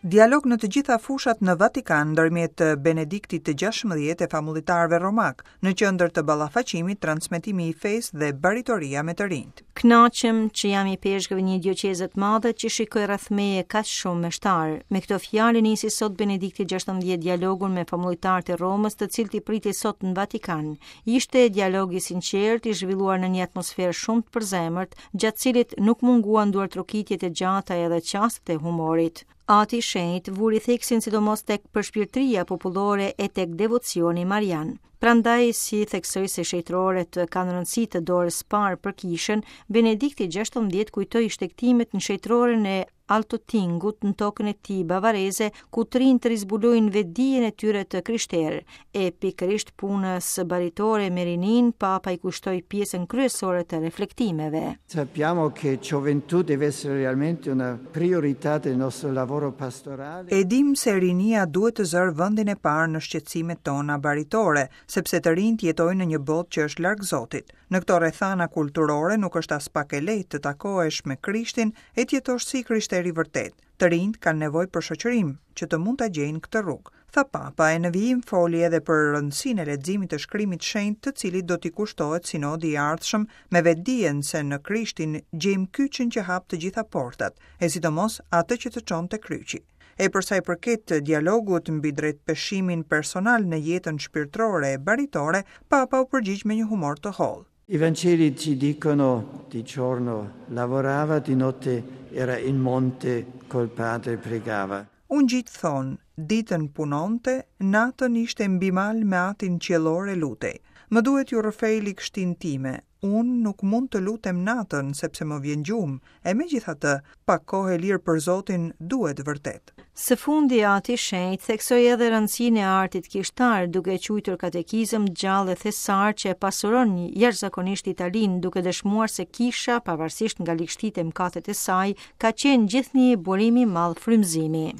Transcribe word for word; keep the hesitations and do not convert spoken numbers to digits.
Dialog në të gjitha fushat në Vatikan ndërmjet Benediktit të gjashtëmbëdhjetë e famullitarëve romak, në qendër të ballafaqimit, transmetimi i fesë dhe baritoria me të rinjt. Kënaqem që jam ipeshkëv i një dioqeze të madhe që shikoj rreth meje kaq shumë meshtar. Me këto fjalë nisi sot Benedikti gjashtëmbëdhjetë dialogun me famullitarët e Romës, të cilët i priti sot në Vatikan. Ishte dialog i sinqert, i zhvilluar në një atmosferë shumë të përzemërt, gjatë cilit nuk munguan duartrokitjet e gjata edhe çastet e humorit. Ati i Shenjt vuri theksin sidomos tek përshpirtëria popullore e tek devocioni marian. Prandaj, si theksoi se shenjtoret kanë rëndësi të dorës parë për kishën, Benedikti gjashtëmbëdhjetë kujtoi shtegtimet në shenjtoren e Altotingut në tokën e tij bavareze, ku të rinjtë rizbulojnë vetdijen e tyre të krishterë. E pikërisht punës baritore me rinin, Papa i kushtoi pjesën kryesore të reflektimeve. Sappiamo che gioventù deve essere realmente una priorità del nostro lavoro pastorale. E dim se rinia duhet të zërë vendin e parë në shqetësimet tona baritore, sepse të rinjt jetojnë në një botë që është larg Zotit. Në këto rrethana kulturore nuk është as pak e lehtë të takohesh me Krishtin e të jetosh si krishteri vërtet. Të rinjt kanë nevojë për shoqërim që të mund ta gjejnë këtë rrugë, tha Papa, e në vijim foli edhe për rëndësinë e leximit të shkrimit shenjt, të cilit do t'i kushtohet sinodi i ardhshëm, me vetdijen se në Krishtin gjejmë kyçin që hap të gjitha portat, e sidomos atë që të çon te kryqi. E për sa i përket dialogut mbi drejtpeshimin personal në jetën shpirtërore e baritore, Papa u përgjigj me një humor të hollë. I Vangeli ci dicono di giorno lavorava, di notte era in monte col padre, pregava. Ungjijt thonë, ditën punonte, natën ishte mbi mal me atin qiellor e lutej. Më duhet ju rrëfej ligështinë time. Unë nuk mund të lutem natën sepse më vjen gjumë, e megjithatë, pak kohë e lirë për Zotin duhet vërtet. Së fundi, Ati i Shenjt theksoi edhe rëndësinë e artit kishtar, duke e quajtur katekizëm gjallë e thesar që e pasuron jashtëzakonisht Italinë, duke dëshmuar se kisha, pavarësisht nga ligështitë e mëkatet e saj, ka qenë gjithnjë burim i madh frymëzimi.